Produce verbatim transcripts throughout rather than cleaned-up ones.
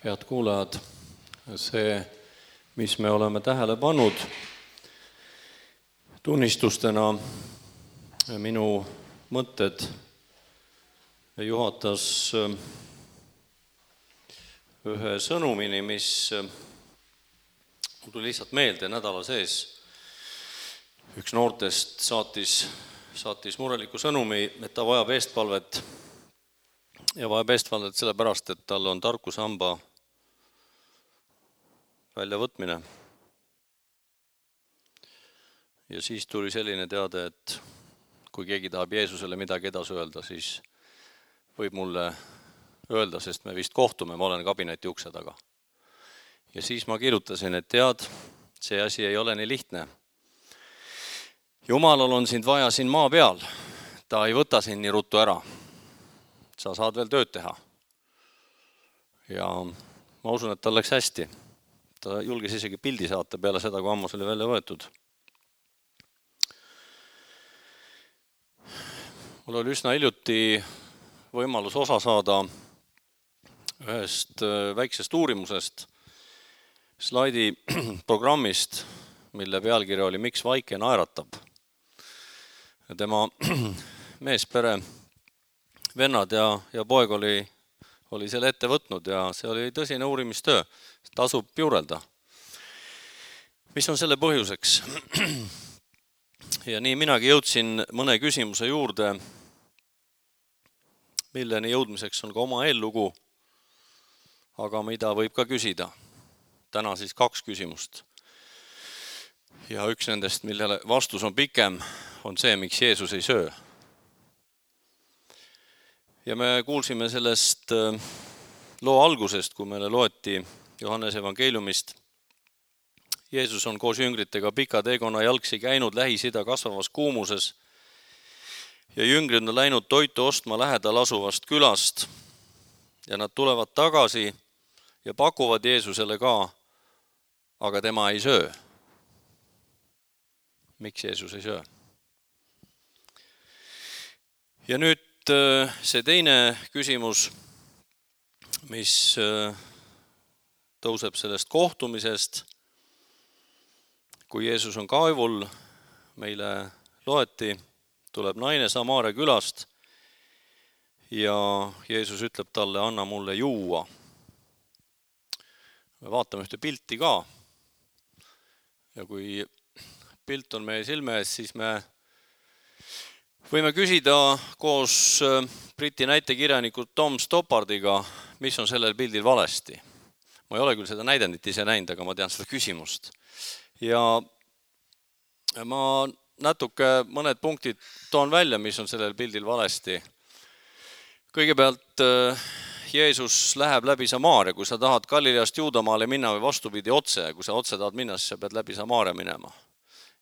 Head kuulajad, see, mis me oleme tähele pannud tunnistustena, minu mõtted juhatas ühe sõnumini, mis mul tuli lihtsalt meelde nädala sees. Üks noortest saatis, saatis mureliku sõnumi, et ta vajab eestpalvet ja vajab eestpalvet sellepärast, et tal on tarkusehamba väljavõtmine. Ja siis tuli selline teade, et kui keegi tahab Jeesusele midagi edasi öelda, siis võib mulle öelda, sest me vist kohtume, ma olen kabineti ukse taga. Ja siis ma kirjutasin, et tead, see asi ei ole nii lihtne. Jumalal on sind vaja siin maa peal, ta ei võta sind nii ruttu ära. Sa saad veel tööd teha. Ja ma usun, et tal läks hästi. Ta julges isegi pildi saata peale seda, kui ammus oli välja võetud. Mul oli üsna hiljuti võimalus osa saada ühest väiksest uurimusest, slaidi programmist, mille pealkiri oli Miks vaike naeratab. Ja tema meespere, vennad ja, ja poeg oli, oli selle ette võtnud ja see oli tõsine uurimistöö. Tasub juurelda. Mis on selle põhjuseks? Ja nii minagi jõudsin mõne küsimuse juurde, milleni jõudmiseks on ka oma eellugu, aga mida võib ka küsida. Täna siis kaks küsimust. Ja üks nendest, millele vastus on pikem, on see, miks Jeesus ei söö. Ja me kuulsime sellest loo algusest, kui meile loeti Johannes evangeeliumist. Jeesus on koos jüngritega pika teekonna jalgsi käinud Lähis-Ida kasvavas kuumuses ja jüngrid on läinud toitu ostma lähedal asuvast külast ja nad tulevad tagasi ja pakuvad Jeesusele ka, aga tema ei söö. Miks Jeesus ei söö? Ja nüüd see teine küsimus, mis tõuseb sellest kohtumisest, kui Jeesus on kaevul, meile loeti, tuleb naine Samaaria külast ja Jeesus ütleb talle, anna mulle juua. Me vaatame ühte pilti ka ja kui pilt on meie silme ees, siis me võime küsida koos Briti näitekirjaniku Tom Stoppardiga, mis on sellel pildil valesti. Ma ei ole küll seda näidendit ise näinud, aga ma tean seda küsimust. Ja ma natuke mõned punktid toon välja, mis on sellel pildil valesti. Kõigepealt Jeesus läheb läbi Samaaria, kui sa tahad Galileast Juudamaale minna või vastupidi otse, kui sa otse tahad minna, siis sa pead läbi Samaaria minema.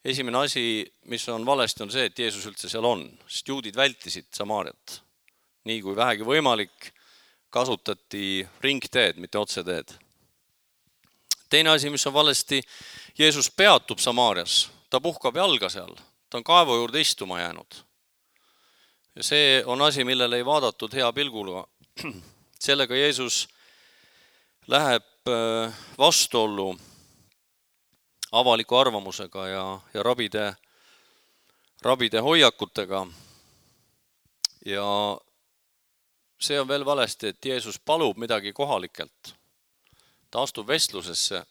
Esimene asi, mis on valesti, on see, et Jeesus üldse seal on, sest juudid vältisid Samaariat. Nii kui vähegi võimalik, kasutati ringteed, mitte otseteed. Teine asi, mis on valesti, Jeesus peatub Samaarias, ta puhkab jalga seal, ta on kaevu juurde istuma jäänud. Ja see on asi, millele ei vaadatud hea pilguga. Sellega Jeesus läheb vastuollu avaliku arvamusega ja, ja rabide, rabide hoiakutega. Ja see on veel valesti, et Jeesus palub midagi kohalikelt. Ta astub vestlusesse,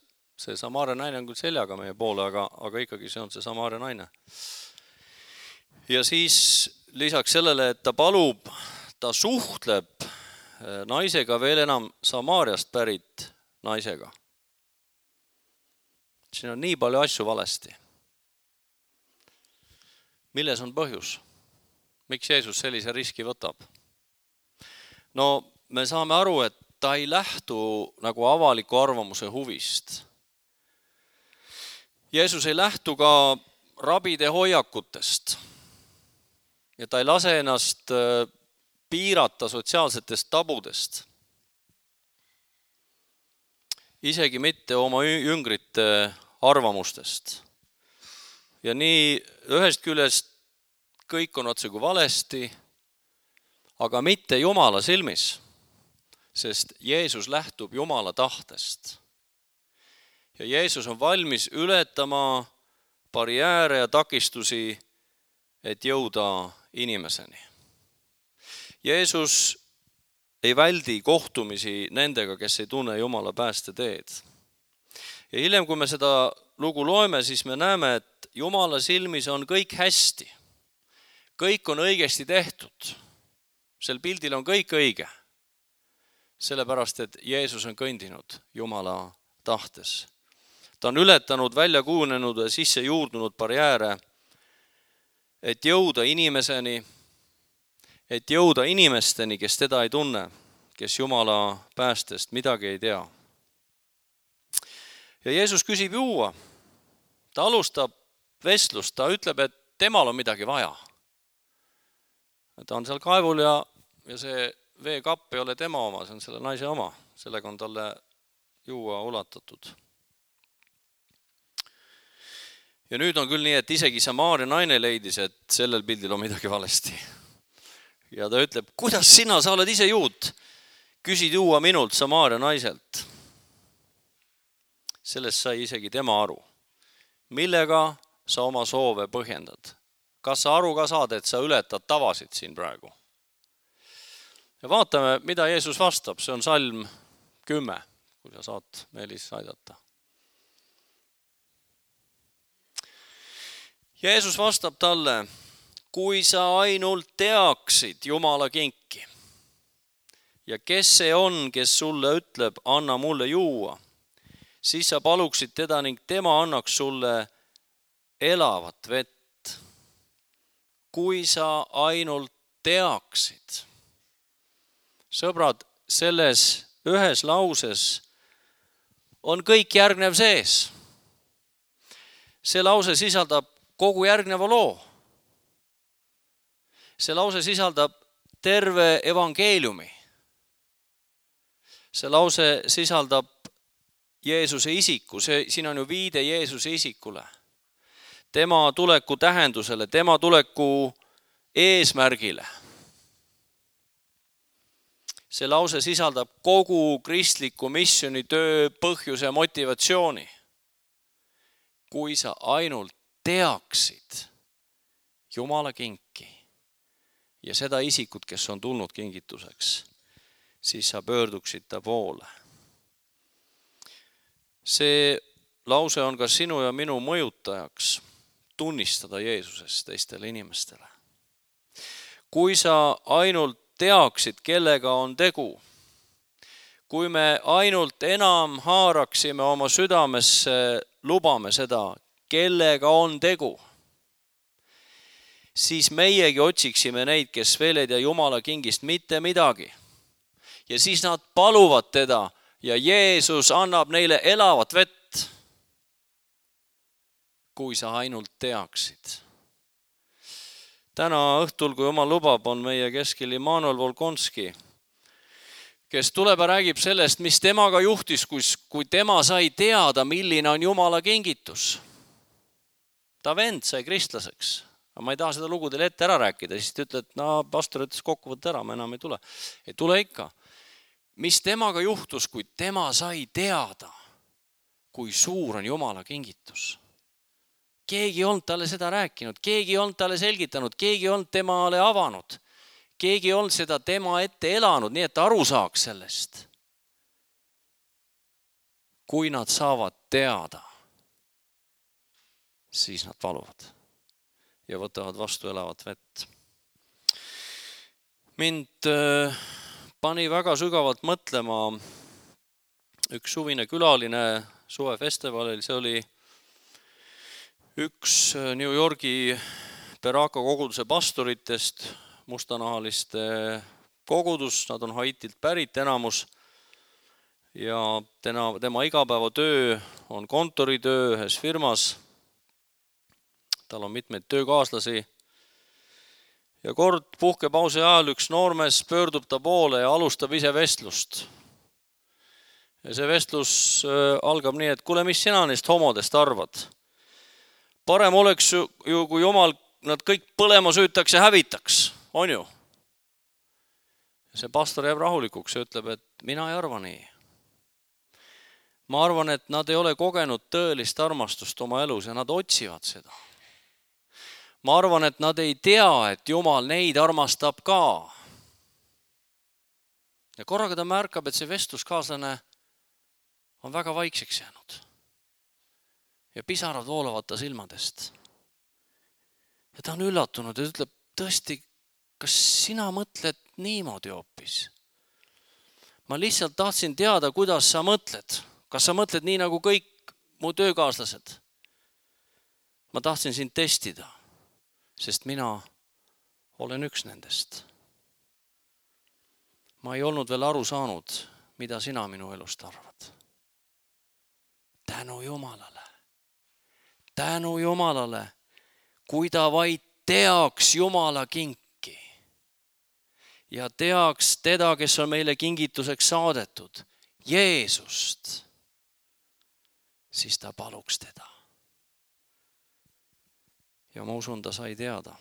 see Samaaria naine on küll seljaga meie poole, aga, aga ikkagi see on see Samaaria naine. Ja siis lisaks sellele, et ta palub, ta suhtleb naisega veel enam Samaariast pärit naisega. Siin on nii palju asju valesti. Milles on põhjus? Miks Jeesus sellise riski võtab? No me saame aru, et ta ei lähtu nagu avaliku arvamuse huvist. Jeesus ei lähtu ka rabide hoiakutest ja ta ei lase ennast piirata sotsiaalsetest tabudest. Isegi mitte oma jüngrite arvamustest. Ja nii ühest küljest kõik on otse kui valesti, aga mitte Jumala silmis. sest Jeesus lähtub Jumala tahtest. Ja Jeesus on valmis ületama barjääre ja takistusi, et jõuda inimeseni. Jeesus ei väldi kohtumisi nendega, kes ei tunne Jumala päästeteed. Ja hiljem, kui me seda lugu loeme, siis me näeme, et Jumala silmis on kõik hästi. Kõik on õigesti tehtud. Sel pildil on kõik õige. Sellepärast, et Jeesus on kõndinud Jumala tahtes. Ta on ületanud välja kujunenud ja sisse juurdunud barjääre, et jõuda inimeseni, et jõuda inimesteni, kes teda ei tunne, kes Jumala päästest midagi ei tea. Ja Jeesus küsib juua. Ta alustab vestlust, ta ütleb, et temal on midagi vaja. Ta on seal kaevul ja, ja see veekapp ei ole tema oma, see on selle naise oma. Sellega on talle juua ulatatud. Ja nüüd on küll nii, et isegi Samaaria naine leidis, et sellel pildil on midagi valesti. Ja ta ütleb, kuidas sina, sa oled ise juut? Küsid juua minult Samaaria naiselt. Sellest sai isegi tema aru. Millega sa oma soove põhjendad? Kas sa aru ka saad, et sa ületad tavasid siin praegu? Ja vaatame, mida Jeesus vastab. See on salm kümme, kui sa saad Meelis aidata. Jeesus vastab talle, kui sa ainult teaksid Jumala kinki ja kes see on, kes sulle ütleb, anna mulle juua, siis sa paluksid teda ning tema annaks sulle elavat vett. Kui sa ainult teaksid. Sõbrad, selles ühes lauses on kõik järgnev sees. See lause sisaldab kogu järgneva loo. See lause sisaldab terve evangeeliumi. See lause sisaldab Jeesuse isiku, see, siin on ju viide Jeesuse isikule. Tema tuleku tähendusele, tema tuleku eesmärgile. See lause sisaldab kogu kristliku missioonitöö põhjuse ja motivatsiooni. Kui sa ainult teaksid Jumala kinki ja seda isikut, kes on tulnud kingituseks, siis sa pöörduksid ta poole. See lause on ka sinu ja minu mõjutajaks tunnistada Jeesusest teistele inimestele. Kui sa ainult teaksid, kellega on tegu, kui me ainult enam haaraksime oma südamesse, lubame seda, kellega on tegu, siis meiegi otsiksime neid, kes veel ei tea Jumala kingist mitte midagi. Ja siis nad paluvad teda ja Jeesus annab neile elavat vett, kui sa ainult teaksid. Täna õhtul, kui Jumal lubab, on meie keskel Immanuel Volkonski, kes tuleb ja räägib sellest, mis temaga juhtis, kui tema sai teada, milline on Jumala kingitus. Ta vend sai kristlaseks. Aga ma ei taha seda lugu teile ette ära rääkida, siis te ütled, et no, pastor ütles kokkuvõtte ära, ma enam ei tule. Ei tule ikka. Mis temaga juhtus, kui tema sai teada, kui suur on Jumala kingitus? Keegi ei olnud talle seda rääkinud, keegi ei olnud talle selgitanud, keegi ei olnud temale avanud, keegi ei olnud seda tema ette elanud, nii et ta aru saaks sellest. Kui nad saavad teada, siis nad paluvad ja võtavad vastu elavat vett. Mind pani väga sügavalt mõtlema üks suvine külaline suvefestivalil, see oli üks New Yorgi Beraka koguduse pastoritest, mustanahaliste kogudus, nad on Haitilt pärit enamus ja tema, tema igapäevatöö on kontoritöö ühes firmas. Tal on mitmeid töökaaslasi ja kord puhkepausi ajal üks noormees pöördub ta poole ja alustab ise vestlust. Ja see vestlus algab nii, et kuule, mis sina neist homodest arvad? Parem oleks ju, kui Jumal nad kõik põlema süütaks ja hävitaks, on ju? See pastor jääb rahulikuks ja ütleb, et mina ei arva nii. Ma arvan, et nad ei ole kogenud tõelist armastust oma elus ja nad otsivad seda. Ma arvan, et nad ei tea, et Jumal neid armastab ka. Ja korraga ta märkab, et see vestluskaaslane on väga vaikseks jäänud. Ja pisarad voolavad ta silmadest. Ja ta on üllatunud ja ütleb, tõesti, kas sina mõtled niimoodi hoopis? Ma lihtsalt tahtsin teada, kuidas sa mõtled. Kas sa mõtled nii nagu kõik mu töökaaslased? Ma tahtsin sind testida, sest mina olen üks nendest. Ma ei olnud veel aru saanud, mida sina minu elust arvad. Tänu Jumalale. Tänu Jumalale, kui ta vaid teaks Jumala kinki ja teaks teda, kes on meile kingituseks saadetud, Jeesust, siis ta paluks teda. Ja ma usun, ta sai teada.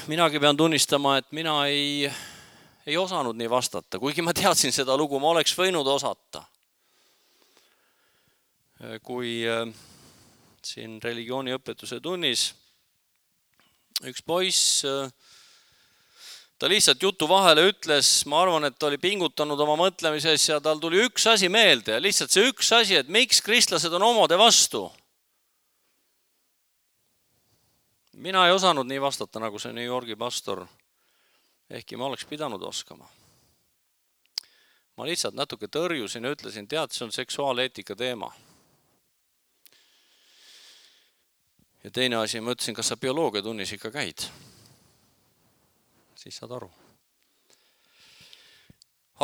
Minagi pean tunnistama, et mina ei, ei osanud nii vastata. Kuigi ma teadsin seda lugu, ma oleks võinud osata. Kui siin religiooniõpetuse tunnis üks poiss, ta lihtsalt jutu vahele ütles, ma arvan, et ta oli pingutanud oma mõtlemises ja tal tuli üks asi meelde. Lihtsalt see üks asi, et miks kristlased on homode vastu. Mina ei osanud nii vastata, nagu see New Yorgi pastor, ehkki ma oleks pidanud oskama. Ma lihtsalt natuke tõrjusin ja ütlesin, tead, see on seksuaaleetika teema. Ja teine asi, ma ütlesin, kas sa bioloogia tunnis ikka käid? Siis saad aru.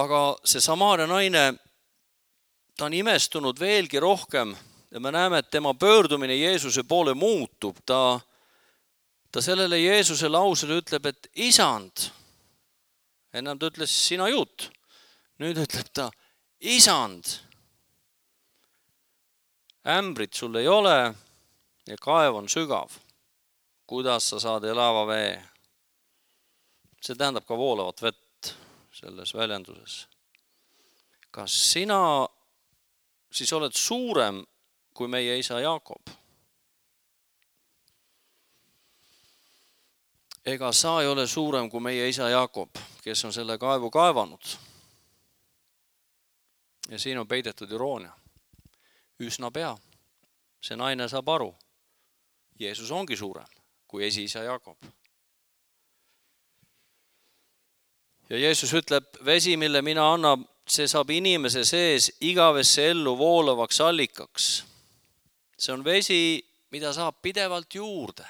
Aga see Samaaria naine, ta on imestunud veelgi rohkem ja me näeme, et tema pöördumine Jeesuse poole muutub. Ta, ta sellele Jeesuse lausele ütleb, et isand, ennem ta ütles sina juut, nüüd ütleb ta, isand, ämbrit sul ei ole ja kaev on sügav. Kuidas sa saad elava vee? See tähendab ka voolavat vett selles väljenduses. Kas sina siis oled suurem kui meie isa Jaakob? Ega sa ei ole suurem kui meie isa Jaakob, kes on selle kaevu kaevanud. Ja siin on peidetud iroonia. Üsna pea. See naine saab aru. Jeesus ongi suurem kui esiisa Jaakob. Ja Jeesus ütleb, vesi, mille mina annan, see saab inimese sees igavesse ellu voolavaks allikaks. See on vesi, mida saab pidevalt juurde.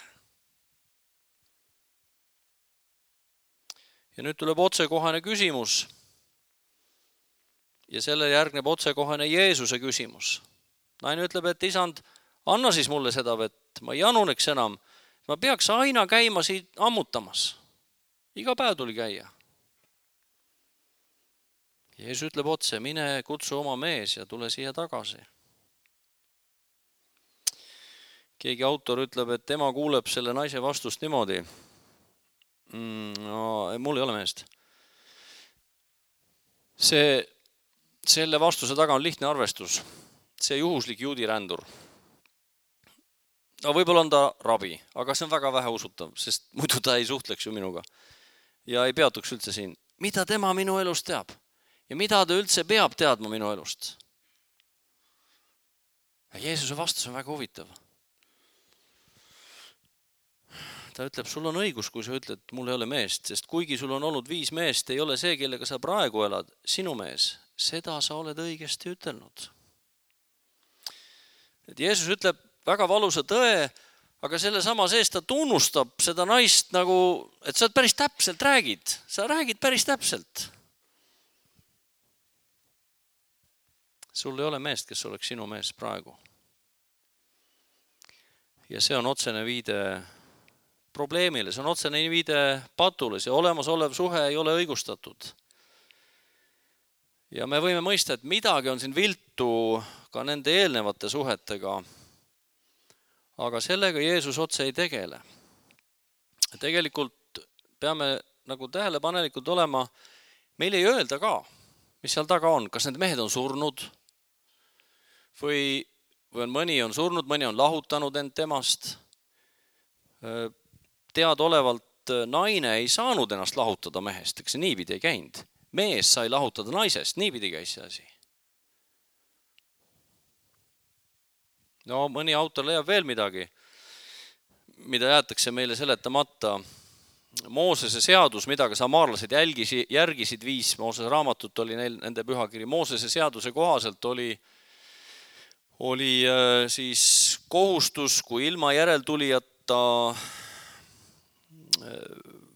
Ja nüüd tuleb otsekohane küsimus. Ja selle järgneb otsekohane Jeesuse küsimus. Naine ütleb, et isand, anna siis mulle seda vett, ma ei januneks enam. Ma peaks aina käima siit ammutamas. Iga päev tuli käia. Jeesus ütleb otse, mine kutsu oma mees ja tule siia tagasi. Keegi autor ütleb, et tema kuuleb selle naise vastust niimoodi. No, mul ei ole meest. See, selle vastuse taga on lihtne arvestus. See juhuslik juudi rändur. No võib-olla on ta rabi, aga see on väga vähe usutav, sest muidu ta ei suhtleks ju minuga. Ja ei peatuks üldse siin. Mida tema minu elust teab? Ja mida ta üldse peab teadma minu elust? Ja Jeesuse vastus on väga huvitav. Ta ütleb, sul on õigus, kui sa ütled, et mul ei ole meest, sest kuigi sul on olnud viis meest, ei ole see, kellega sa praegu elad, sinu mees. Seda sa oled õigesti ütelnud. Et Jeesus ütleb väga valusa tõe, aga selle sama sees ta tunnustab seda naist nagu, et sa päris täpselt räägid. Sa räägid päris täpselt. Sul ei ole meest, kes oleks sinu mees praegu. Ja see on otsene viide probleemile, see on otsene viide patule, see olemasolev suhe ei ole õigustatud. Ja me võime mõista, et midagi on siin viltu ka nende eelnevate suhetega, aga sellega Jeesus otse ei tegele. Tegelikult peame nagu tähelepanelikult olema, meil ei öelda ka, mis seal taga on, kas need mehed on surnud või, või on mõni on surnud, mõni on lahutanud end temast. Teadaolevalt naine ei saanud ennast lahutada mehest, eks see niipidi ei käinud. Mees sai lahutada naisest, niipidi käis see asi. No mõni autor leiab veel midagi, mida jäetakse meile seletamata. Moosese seadus, mida ka samaarlased jälgisi, järgisid viis Moosese raamatut, oli neil, nende pühakiri. Moosese seaduse kohaselt oli, oli siis kohustus, kui ilma järeltulijata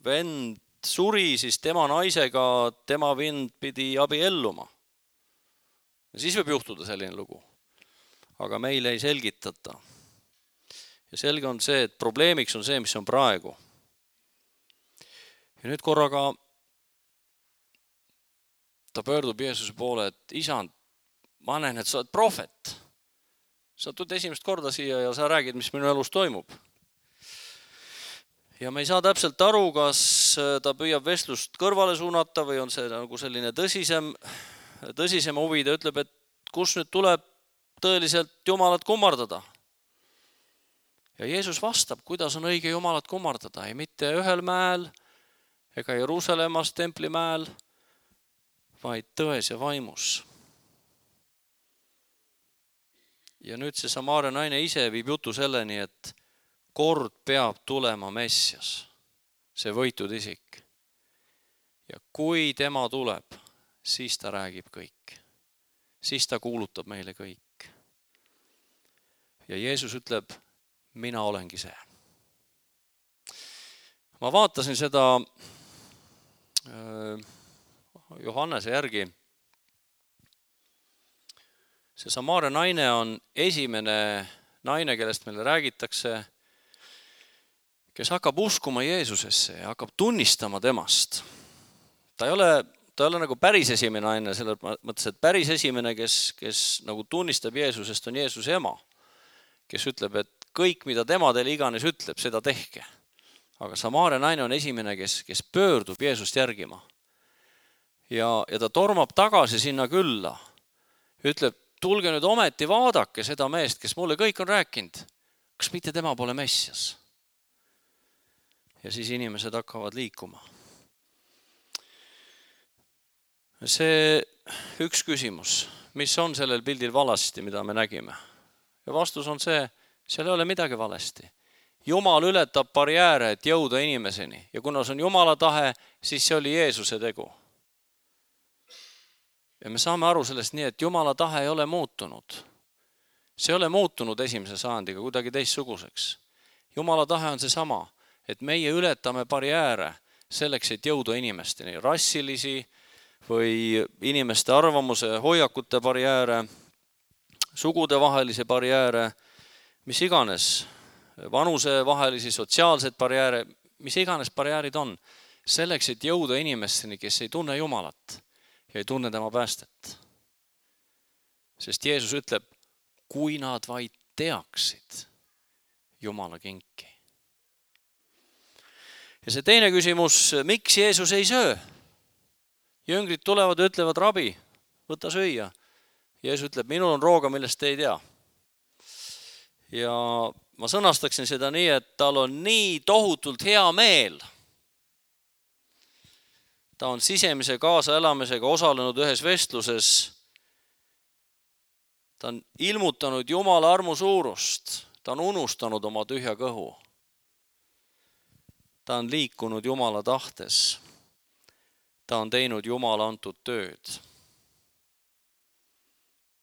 vend suri, siis tema naisega tema vend pidi abielluma. Ja siis võib juhtuda selline lugu. Aga meile ei selgitata. Ja selge on see, et probleemiks on see, mis on praegu. Ja nüüd korraga ta pöördub Jeesuse poole, et isand, ma näen, et sa oled prohvet. Sa tuled esimest korda siia ja sa räägid, mis minu elus toimub. Ja me ei saa täpselt aru, kas ta püüab vestlust kõrvale suunata või on see nagu selline tõsisem, tõsisem huvi. Ta ütleb, et kus nüüd tuleb tõeliselt Jumalat kummardada. Ja Jeesus vastab, kuidas on õige Jumalat kummardada. Ei mitte ühel mäel ega Jeruusalemmas templimäel, vaid tões ja vaimus. Ja nüüd see Samaaria naine ise viib jutu selleni, et kord peab tulema Messias, see võitud isik. Ja kui tema tuleb, siis ta räägib kõik. Siis ta kuulutab meile kõik. Ja Jeesus ütleb, mina olengi see. Ma vaatasin seda Johannese järgi. See Samaaria naine on esimene naine, kellest meile räägitakse, kes hakkab uskuma Jeesusesse ja hakkab tunnistama temast. Ta ei ole, ta ei ole nagu päris esimene naine, selle mõttes, et päris esimene, kes, kes nagu tunnistab Jeesusest, on Jeesuse ema, kes ütleb, et kõik, mida tema teile iganes ütleb, seda tehke. Aga Samaaria naine on esimene, kes, kes pöördub Jeesust järgima. Ja, ja ta tormab tagasi sinna külla. Ütleb, tulge nüüd ometi vaadake seda meest, kes mulle kõik on rääkinud. Kas mitte tema pole Messias? Ja siis inimesed hakkavad liikuma. See üks küsimus, mis on sellel pildil valesti, mida me nägime? Ja vastus on see, seal ei ole midagi valesti. Jumal ületab barjääre, et jõuda inimeseni. Ja kuna see on Jumala tahe, siis see oli Jeesuse tegu. Ja me saame aru sellest nii, et Jumala tahe ei ole muutunud. See ei ole muutunud esimese sajandiga kuidagi teistsuguseks. Jumala tahe on see sama, et meie ületame barjääre selleks, et jõuda inimesteni. Rassilisi või inimeste arvamuse, hoiakute barjääre, sugudevahelisi barjääre, mis iganes, vanusevahelisi, sotsiaalseid barjääre, mis iganes barjäärid on, selleks, et jõuda inimesteni, kes ei tunne Jumalat ja ei tunne tema päästet. Sest Jeesus ütleb, kui nad vaid teaksid Jumala kinki. Ja see teine küsimus, miks Jeesus ei söö? Jüngrid tulevad ja ütlevad, rabi, võta süüa. Jeesus ütleb, minul on rooga, millest te ei tea. Ja ma sõnastaksin seda nii, et tal on nii tohutult hea meel. Ta on sisemise kaasaelamisega osalenud ühes vestluses. Ta on ilmutanud Jumala armu suurust. Ta on unustanud oma tühja kõhu. Ta on liikunud Jumala tahtes. Ta on teinud Jumala antud tööd.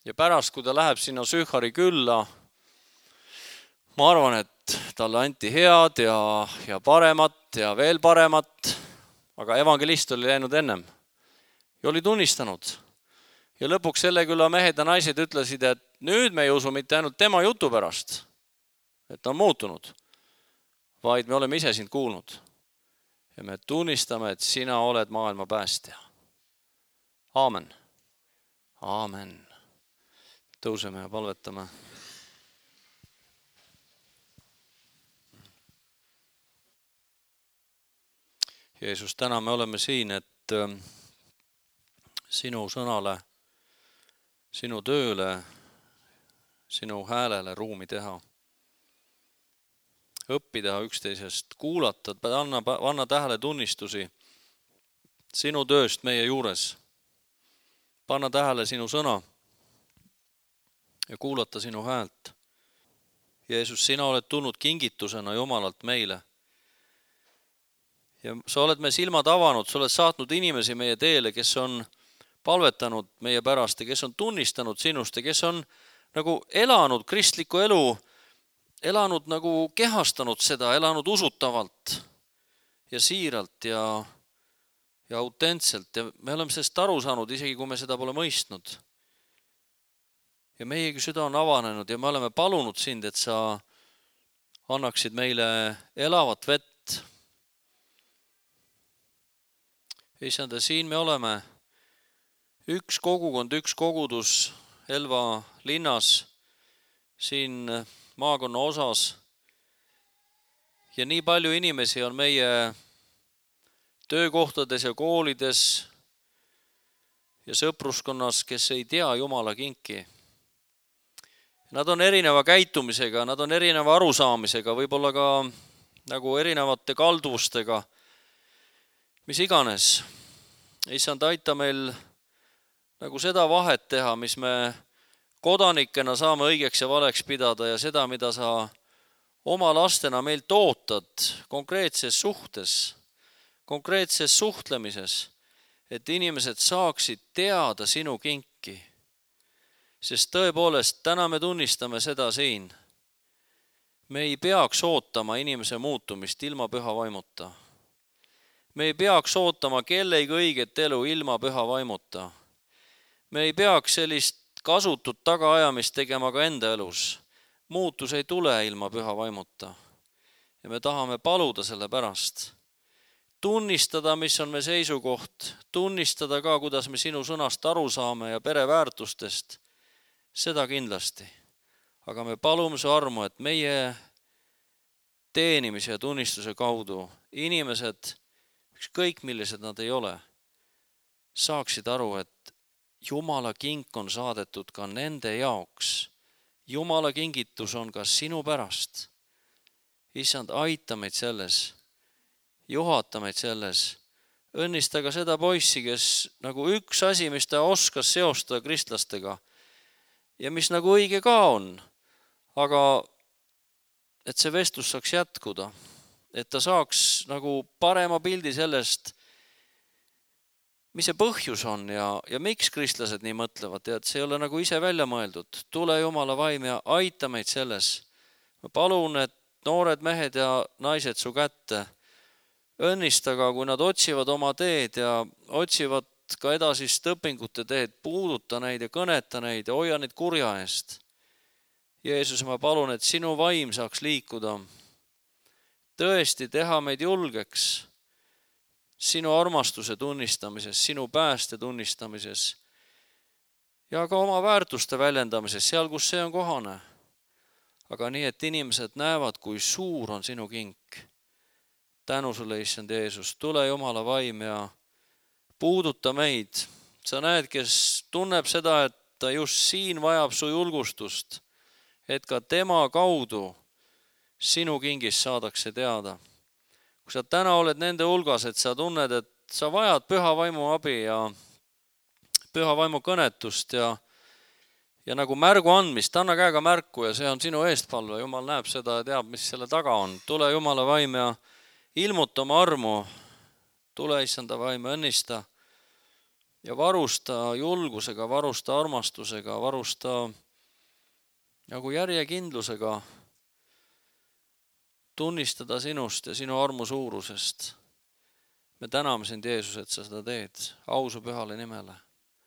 Ja pärast, kui ta läheb sinna Sühari külla, ma arvan, et talle anti head ja, ja paremat ja veel paremat, aga evangelist oli läinud ennem ja oli tunnistanud. Ja lõpuks selle külla mehed ja naised ütlesid, et nüüd me ei usu mitte ainult tema jutu pärast, et ta on muutunud, vaid me oleme ise sind kuulnud. Ja me tunnistame, et sina oled maailma päästja. Aamen. Aamen. Tõuseme ja palvetame. Jeesus, täna me oleme siin, et sinu sõnale, sinu tööle, sinu häälele ruumi teha. Õppida üksteisest, kuulata, anna, anna tähele tunnistusi sinu tööst meie juures. Panna tähele sinu sõna ja kuulata sinu häält. Jeesus, sina oled tulnud kingitusena Jumalalt meile. Ja sa oled me silmad avanud, sa oled saatnud inimesi meie teele, kes on palvetanud meie pärast ja kes on tunnistanud sinust ja kes on nagu elanud kristlikku elu, elanud nagu kehastanud seda, elanud usutavalt ja siiralt ja, ja autentselt. Ja me oleme sellest aru saanud, isegi kui me seda pole mõistnud. Ja meiegi süda on avanenud ja me oleme palunud sind, et sa annaksid meile elavat vett. Issand, siin me oleme üks kogukond, üks kogudus Elva linnas, siin maakonna osas. Ja nii palju inimesi on meie töökohtades ja koolides ja sõpruskonnas, kes ei tea Jumala kinki. Nad on erineva käitumisega, nad on erineva arusaamisega, võib-olla ka nagu erinevate kalduvustega, mis iganes. Issand, aita meil nagu seda vahet teha, mis me kodanikena saame õigeks ja valeks pidada ja seda, mida sa oma lastena meilt ootad konkreetses suhtes, konkreetses suhtlemises, et inimesed saaksid teada sinu kinki. Sest tõepoolest, täna me tunnistame seda siin. Me ei peaks ootama inimese muutumist ilma püha vaimuta. Me ei peaks ootama kellegi õiget elu ilma püha vaimuta. Me ei peaks sellist kasutut tagaajamist tegema ka enda elus. Muutus ei tule ilma püha vaimuta. Ja me tahame paluda selle pärast. Tunnistada, mis on me seisukoht. Tunnistada ka, kuidas me sinu sõnast aru saame ja pereväärtustest. Seda kindlasti. Aga me palume su armu, et meie teenimise ja tunnistuse kaudu inimesed, ükskõik millised nad ei ole, saaksid aru, et Jumala kink on saadetud ka nende jaoks. Jumala kingitus on ka sinu pärast. Issand, aita meid selles, juhata meid selles. Õnnista ka seda poissi, kes nagu üks asi, mis ta oskas seostada kristlastega ja mis nagu õige ka on, aga et see vestlus saaks jätkuda, et ta saaks nagu parema pildi sellest, mis see põhjus on ja, ja miks kristlased nii mõtlevad ja et see ei ole nagu ise välja mõeldud. Tule Jumala vaim ja aita meid selles. Ma palun, et noored mehed ja naised su kätte õnnista ka, kui nad otsivad oma teed ja otsivad ka edasist õpingute teed, puuduta neid ja kõneta neid ja hoia neid kurja eest. Jeesus, ma palun, et sinu vaim saaks liikuda. Tõesti teha meid julgeks sinu armastuse tunnistamises, sinu pääste tunnistamises ja ka oma väärtuste väljendamises, seal, kus see on kohane. Aga nii, et inimesed näevad, kui suur on sinu kink. Tänu sulle, issand Jeesus, tule Jumala vaim ja puuduta meid. Sa näed, kes tunneb seda, et ta just siin vajab su julgustust, et ka tema kaudu sinu kingist saadakse teada. Kui sa täna oled nende hulgas, et sa tunned, et sa vajad püha vaimu abi ja püha vaimu kõnetust ja, ja nagu märgu andmist, anna käega märku ja see on sinu eestpalve. Jumal näeb seda ja teab, mis selle taga on. Tule Jumala vaim ja ilmuta oma armu. Tule issanda vaim ja õnnista ja varusta julgusega, varusta armastusega, varusta nagu järjekindlusega tunnistada sinust ja sinu armu suurusest. Me täname sind, Jeesus, et sa seda teed. Au su pühale nimele.